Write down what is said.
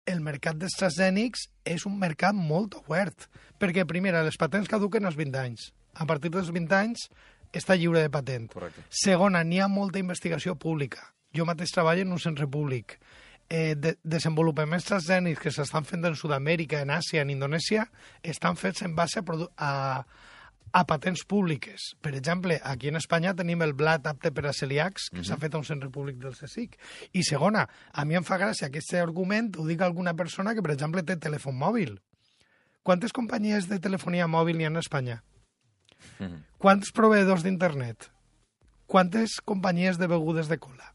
el mercat dels transgènics és un mercat molt obert, perquè, primera, les patents caduquen als 20 anys. A partir dels 20 anys està lliure de patent. Correcte. Segona, n'hi ha molta investigació pública. Jo mateix treballo en un centre públic. Desenvolupaments transgènics que s'estan fent en Sud-amèrica, en Àsia, en Indonèsia, estan fets en base a patents públiques. Per exemple, aquí en Espanya tenim el blat apte per a celíacs, que s'ha fet a un centre públic del CSIC. I segona, a mi em fa gràcia aquest argument, ho dic a alguna persona que, per exemple, té telèfon mòbil. Quantes companyies de telefonia mòbil hi ha a Espanya? Quants proveïdors d'internet? Quantes companyies de begudes de cola?